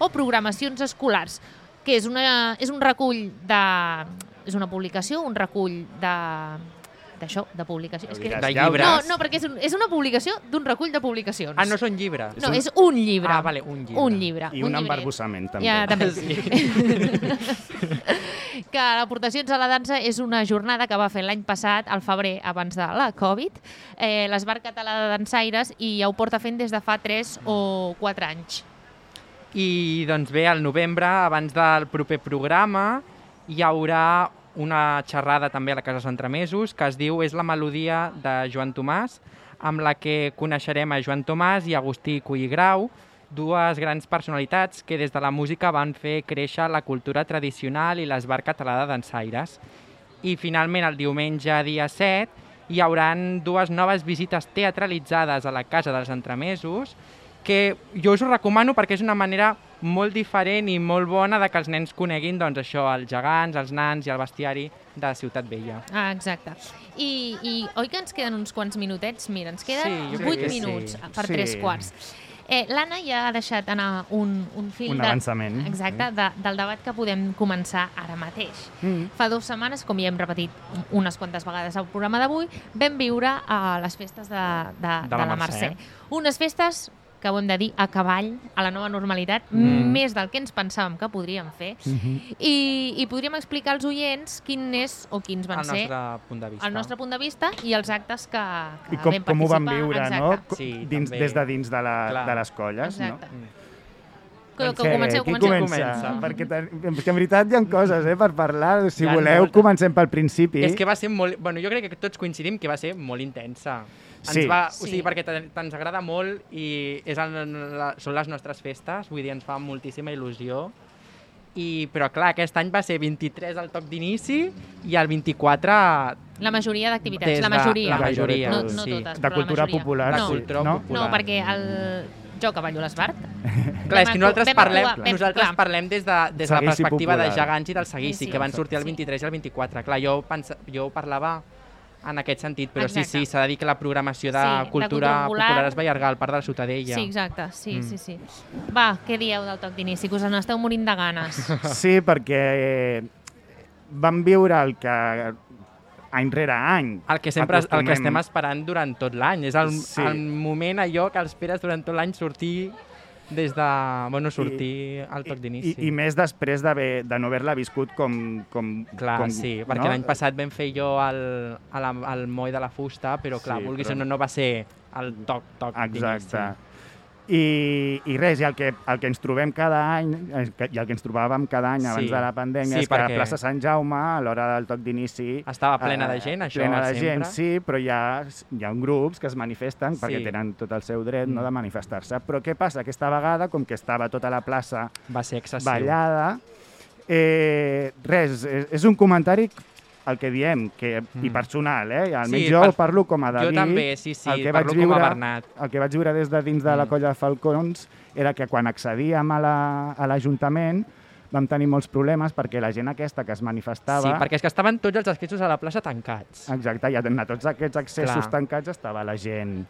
[SPEAKER 2] o programacions escolars, que és un recull de... És una publicació, un recull d'això, de publicació. És que...
[SPEAKER 4] De llibres?
[SPEAKER 2] No, perquè és una publicació d'un recull de publicacions.
[SPEAKER 4] Ah, no són llibres?
[SPEAKER 2] No, és un llibre.
[SPEAKER 4] Ah, vale, un llibre.
[SPEAKER 2] Un llibre.
[SPEAKER 3] I un embarbussament, també.
[SPEAKER 2] Ja, també.
[SPEAKER 4] Sí.
[SPEAKER 2] Que l'Aportacions a la dansa és una jornada que va fer l'any passat, al febrer, abans de la Covid, l'Esbar Català de Dansaires, i ja ho porta fent des de fa 3 o 4 anys.
[SPEAKER 4] I doncs bé, al novembre, abans del proper programa, hi haurà una xerrada també a la Casa Centremesos que es diu És la melodia de Joan Tomàs, amb la que coneixerem a Joan Tomàs i Agustí Colligrau, dues grans personalitats que des de la música van fer créixer la cultura tradicional i l'Esbar Català de Dansaires. I finalment, el diumenge, dia 7, hi hauran dues noves visites teatralitzades a la Casa dels Entremesos, que jo us ho recomano perquè és una manera molt diferent i molt bona de que els nens coneguin doncs, això, els gegants, els nans i el bestiari de Ciutat Vella.
[SPEAKER 2] Ah, exacte. I oi que ens queden uns quants minutets? Mira, ens queden
[SPEAKER 4] Sí, jo crec
[SPEAKER 2] 8
[SPEAKER 4] que
[SPEAKER 2] minuts
[SPEAKER 4] sí.
[SPEAKER 2] per 3/4. L'Anna ja ha deixat anar un fil
[SPEAKER 3] Un avançament.
[SPEAKER 2] Exacte, del debat que podem començar ara mateix. Fa 2 setmanes, com ja hem repetit unes quantes vegades al programa d'avui, vam viure a les festes de la Mercè. Unes festes que ho hem de dir, a cavall, a la nova normalitat, més del que ens pensàvem que podríem fer. I podríem explicar als oients quins van ser
[SPEAKER 4] el nostre punt de vista.
[SPEAKER 2] el nostre punt de vista i els actes que
[SPEAKER 3] I
[SPEAKER 2] vam participar.
[SPEAKER 3] com ho vam viure, no?
[SPEAKER 4] Sí,
[SPEAKER 3] Des de dins de les colles, no?
[SPEAKER 2] Exacte. Que comenceu.
[SPEAKER 3] Qui comença? Perquè en veritat hi ha coses per parlar. Si
[SPEAKER 4] Hi ha
[SPEAKER 3] voleu,
[SPEAKER 4] moltes.
[SPEAKER 3] comencem pel principi.
[SPEAKER 4] És que va ser molt... Bueno, jo crec que tots coincidim que va ser molt intensa.
[SPEAKER 3] Sí.
[SPEAKER 4] O sigui, perquè ens agrada molt i són les nostres festes, vull dir, ens fa moltíssima il·lusió. Però clar, aquest any va ser 23 el toc d'inici i el 24...
[SPEAKER 2] La majoria d'activitats,
[SPEAKER 4] des
[SPEAKER 2] la majoria.
[SPEAKER 4] La majoria,
[SPEAKER 2] no
[SPEAKER 4] sí.
[SPEAKER 2] totes,
[SPEAKER 3] De
[SPEAKER 2] però
[SPEAKER 3] cultura
[SPEAKER 2] la majoria.
[SPEAKER 3] popular,
[SPEAKER 2] no.
[SPEAKER 3] sí.
[SPEAKER 4] cultura
[SPEAKER 3] No?
[SPEAKER 4] popular.
[SPEAKER 2] No, perquè jo cavallo l'Esbart.
[SPEAKER 4] Clar, és que nosaltres
[SPEAKER 2] clar.
[SPEAKER 4] parlem des de la
[SPEAKER 3] Seguici
[SPEAKER 4] perspectiva
[SPEAKER 3] popular.
[SPEAKER 4] de gegants i del seguici,
[SPEAKER 2] Sí,
[SPEAKER 4] que van sortir el
[SPEAKER 2] sí.
[SPEAKER 4] 23 i el 24. Clar, jo parlava en aquest sentit, però
[SPEAKER 2] Exacte.
[SPEAKER 4] sí, s'ha de dir que la programació de
[SPEAKER 2] Sí, de
[SPEAKER 4] cultura
[SPEAKER 2] cultura popular
[SPEAKER 4] popular es va allargar al Parc de la Ciutadella.
[SPEAKER 2] Sí, exacte, sí. Va, què dieu del toc d'inici? Que us n'esteu morint de ganes.
[SPEAKER 3] Sí, perquè vam viure el que any rere any
[SPEAKER 4] El que estem esperant durant tot l'any. És el moment allò que esperes durant tot l'any sortir sortir al toc d'inici.
[SPEAKER 3] I més després de no haver-la viscut com
[SPEAKER 4] Clar, sí, perquè l'any passat vam fer jo el moll de la fusta, però clar,
[SPEAKER 3] Sí,
[SPEAKER 4] vulguis
[SPEAKER 3] però
[SPEAKER 4] o no va ser el toc d'inici.
[SPEAKER 3] Exacte. I res, i el que ens trobem cada any, i el que ens trobàvem cada any abans
[SPEAKER 4] Sí.
[SPEAKER 3] de la pandèmia,
[SPEAKER 4] Sí,
[SPEAKER 3] és que a
[SPEAKER 4] perquè
[SPEAKER 3] la plaça Sant Jaume, a l'hora del toc d'inici...
[SPEAKER 4] Estava plena de gent, això,
[SPEAKER 3] plena de gent,
[SPEAKER 4] sempre.
[SPEAKER 3] sí, però hi ha grups que es manifesten perquè tenen tot el seu dret de manifestar-se. Però què passa? Aquesta vegada, com que estava tota la plaça
[SPEAKER 4] Va ser excessiu.
[SPEAKER 3] ballada, res, és un comentari el que diem, i personal, almenys
[SPEAKER 4] Sí,
[SPEAKER 3] jo parlo com a David.
[SPEAKER 4] Jo també, sí,
[SPEAKER 3] el que
[SPEAKER 4] parlo
[SPEAKER 3] vaig
[SPEAKER 4] com a
[SPEAKER 3] viure,
[SPEAKER 4] Bernat.
[SPEAKER 3] El que vaig viure des de dins de la colla de Falcons era que quan accedíem a l'Ajuntament vam tenir molts problemes perquè la gent aquesta que es manifestava...
[SPEAKER 4] Sí, perquè és que estaven tots els accessos a la plaça tancats.
[SPEAKER 3] Exacte, i a tots aquests accessos
[SPEAKER 4] Clar.
[SPEAKER 3] tancats estava la gent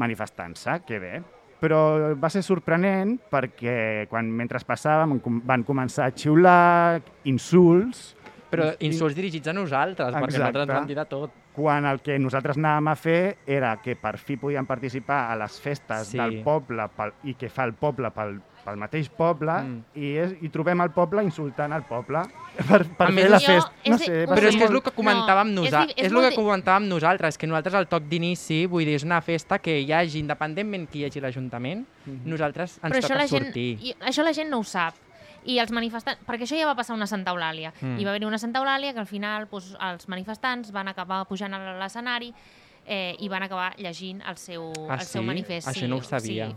[SPEAKER 3] manifestant-se, que bé. Però va ser sorprenent perquè mentre passàvem van començar a xiular insults
[SPEAKER 4] Però insults dirigits a nosaltres, perquè nosaltres ens vam dir de tot.
[SPEAKER 3] Quan el que nosaltres anàvem a fer era que per fi podíem participar a les festes del poble i que fa el poble pel mateix poble i trobem el poble insultant el poble per fer la festa. No sé,
[SPEAKER 4] però és que és el que comentàvem nosaltres, que nosaltres al toc d'inici, vull dir, és una festa que hi hagi, independentment qui hi hagi l'Ajuntament, nosaltres ens toca sortir.
[SPEAKER 2] Això la gent no ho sap. I els manifestants, perquè això ja va passar una Santa Eulàlia. Hi va haver una Santa Eulàlia que al final els manifestants van acabar pujant a l'escenari i van acabar llegint el seu manifest.
[SPEAKER 4] Això no ho sabia.
[SPEAKER 2] Sí,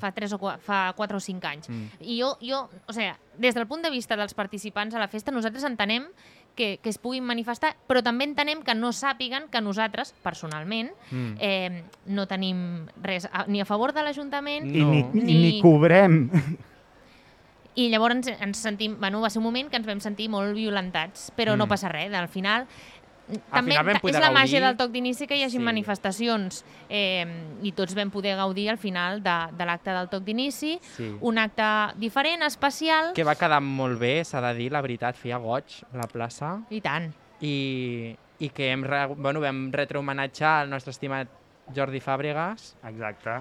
[SPEAKER 2] fa 4 o 5 anys. I jo, o sigui, des del punt de vista dels participants a la festa, nosaltres entenem que es puguin manifestar, però també entenem que no sàpiguen que nosaltres, personalment, no tenim res ni a favor de l'Ajuntament
[SPEAKER 3] ni cobrem.
[SPEAKER 2] I llavors ens sentim... Bueno, va ser un moment que ens vam sentir molt violentats, però no passa res. Al final, també és la màgia del toc d'inici que hi hagi manifestacions i tots vam poder gaudir al final de l'acte del toc d'inici. Un acte diferent, especial...
[SPEAKER 4] Que va quedar molt bé, s'ha de dir, la veritat, feia goig la plaça.
[SPEAKER 2] I tant.
[SPEAKER 4] I que vam retrohomenatjar el nostre estimat Jordi Fàbregas.
[SPEAKER 3] Exacte.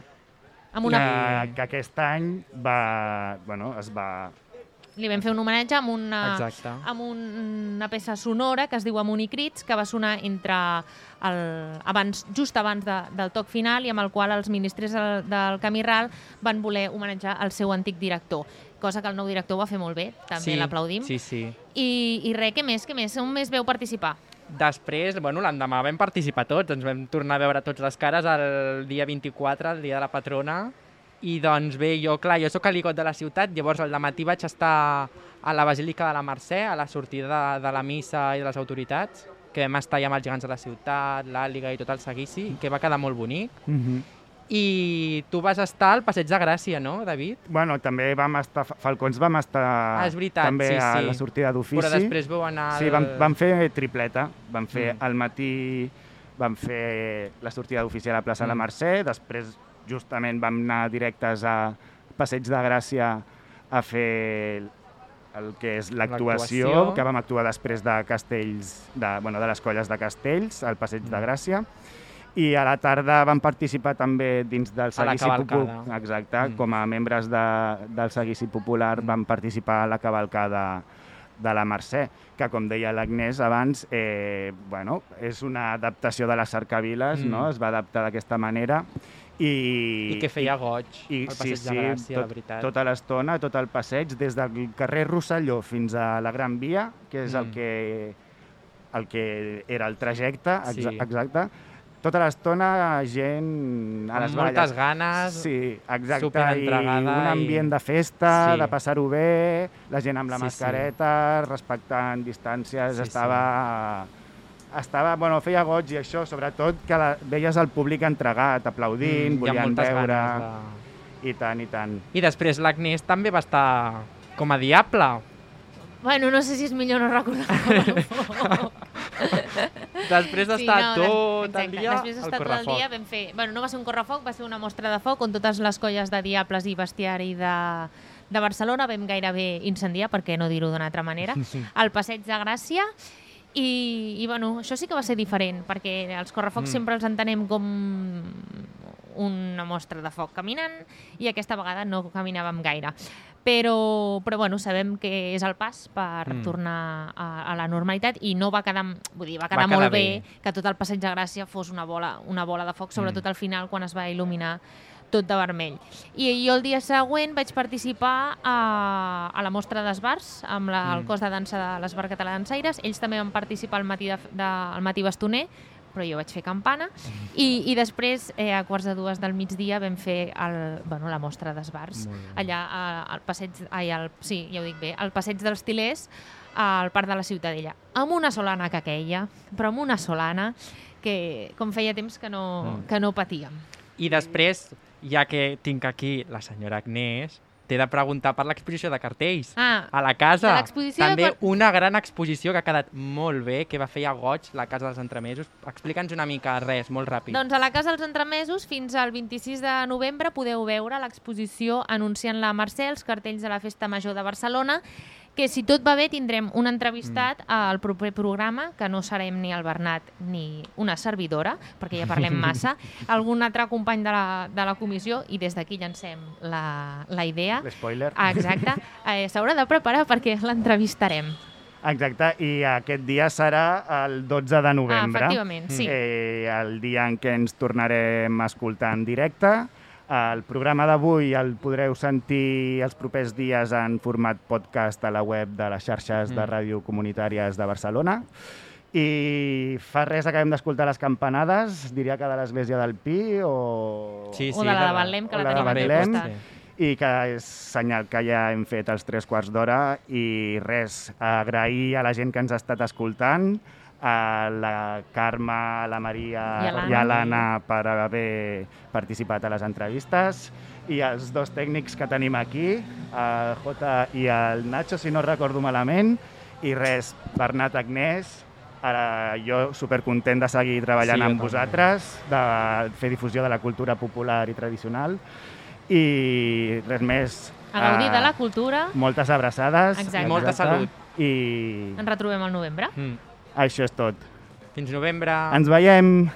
[SPEAKER 3] Que aquest any es va...
[SPEAKER 2] Li vam fer un homenatge amb una peça sonora que es diu Amunt i Crits, que va sonar just abans del toc final i amb el qual els ministres del Camí Ral van voler homenatjar el seu antic director, cosa que el nou director va fer molt bé, també l'aplaudim. I res, què més? On més veu participar?
[SPEAKER 4] Després, l'endemà vam participar tots, ens vam tornar a veure tots les cares el dia 24, el dia de la patrona, i doncs bé, jo soc aligot de la ciutat, llavors al dematí vaig estar a la Basílica de la Mercè, a la sortida de la missa i de les autoritats, que vam estar allà amb els gegants de la ciutat, l'Àliga i tot el seguici, que va quedar molt bonic. I tu vas estar al Passeig de Gràcia, no, David?
[SPEAKER 3] Bueno, també Falcons vam estar també a la sortida d'ofici.
[SPEAKER 4] Però després vau anar...
[SPEAKER 3] Sí, vam fer tripleta. Vam fer al matí, vam fer la sortida d'ofici a la plaça de la Mercè, després justament vam anar directes a Passeig de Gràcia a fer el que és l'actuació, que vam actuar després de Castells, de les colles de Castells, al Passeig de Gràcia. I a la tarda vam participar també dins del seguici popular. Exacte, com a membres del seguici popular vam participar a la cavalcada de la Mercè, que com deia l'Agnès abans, és una adaptació de les cercaviles, es va adaptar d'aquesta manera.
[SPEAKER 4] I que feia goig el Passeig de Gràcia, la veritat.
[SPEAKER 3] Tota l'estona, tot el passeig, des del carrer Rosselló fins a la Gran Via, que és el que era el trajecte, exacte. Tota l'estona gent a les valles.
[SPEAKER 4] Amb moltes ganes,
[SPEAKER 3] superentregada. I un ambient de festa, de passar-ho bé, la gent amb la mascareta, respectant distàncies, feia goig i això, sobretot que veies el públic entregat, aplaudint, volien veure... I tant, i tant.
[SPEAKER 4] I després l'Agnès també va estar com a diable.
[SPEAKER 2] Bueno, no sé si és millor no recordar.
[SPEAKER 4] Després d'estar tot el dia al correfoc.
[SPEAKER 2] Vam fer... no va ser un correfoc, va ser una mostra de foc on totes les colles de diables i bestiari de Barcelona vam gairebé incendiar, per què no dir-ho d'una altra manera, al Passeig de Gràcia. I això sí que va ser diferent, perquè els correfocs sempre els entenem com una mostra de foc caminant i aquesta vegada no caminàvem gaire. Però sabem que és el pas per tornar a la normalitat i no va quedar, va quedar molt bé que tot el Passeig de Gràcia fos una bola de foc, sobretot al final quan es va il·luminar tot de vermell. I jo el dia següent vaig participar a la mostra d'esbars amb el cos de dansa de l'Esbar Català Dansaires. Ells també van participar al matí bastoner, però jo vaig fer campana, i després, a 1:45 del migdia, vam fer la mostra d'esbars, allà al passeig, ja ho dic bé, al passeig dels Tilers, al Parc de la Ciutadella, amb una solana que queia, però amb una solana que com feia temps que no patíem.
[SPEAKER 4] I després, ja que tinc aquí la senyora Agnès, t'he de preguntar per l'exposició de cartells. A la casa, també una gran exposició que ha quedat molt bé, que va fer a goig la Casa dels Entremesos. Explica'ns una mica, res, molt ràpid.
[SPEAKER 2] Doncs a la Casa dels Entremesos, fins al 26 de novembre, podeu veure l'exposició anunciant la Mercè, els cartells de la Festa Major de Barcelona, que si tot va bé tindrem un entrevistat al proper programa, que no serem ni el Bernat ni una servidora, perquè ja parlem massa, algun altre company de la comissió, i des d'aquí llancem la idea.
[SPEAKER 3] L'espoiler.
[SPEAKER 2] Exacte. S'haurà de preparar perquè l'entrevistarem.
[SPEAKER 3] Exacte, i aquest dia serà el 12 de novembre.
[SPEAKER 2] Efectivament, sí.
[SPEAKER 3] El dia en què ens tornarem a escoltar en directe. El programa d'avui el podreu sentir els propers dies en format podcast a la web de les xarxes de ràdio comunitàries de Barcelona. I fa res acabem d'escoltar les campanades, diria que de l'Església del Pi o...
[SPEAKER 2] Sí, o de la de Betlem, que la tenim aquí al costat.
[SPEAKER 3] I que és senyal que ja hem fet els 3/4 d'hora i res, agrair a la gent que ens ha estat escoltant, a la Carme, a la Maria i a l'Anna per haver participat a les entrevistes i els dos tècnics que tenim aquí, el Jota i el Nacho, si no recordo malament, i res, Bernat, Agnès, jo supercontent de seguir treballant amb vosaltres, de fer difusió de la cultura popular i tradicional. I res més.
[SPEAKER 2] A gaudir de la cultura.
[SPEAKER 3] Moltes abraçades.
[SPEAKER 4] Exacte. I molta salut.
[SPEAKER 3] I
[SPEAKER 2] ens retrobem al novembre.
[SPEAKER 3] Això és tot.
[SPEAKER 4] Fins novembre.
[SPEAKER 3] Ens veiem.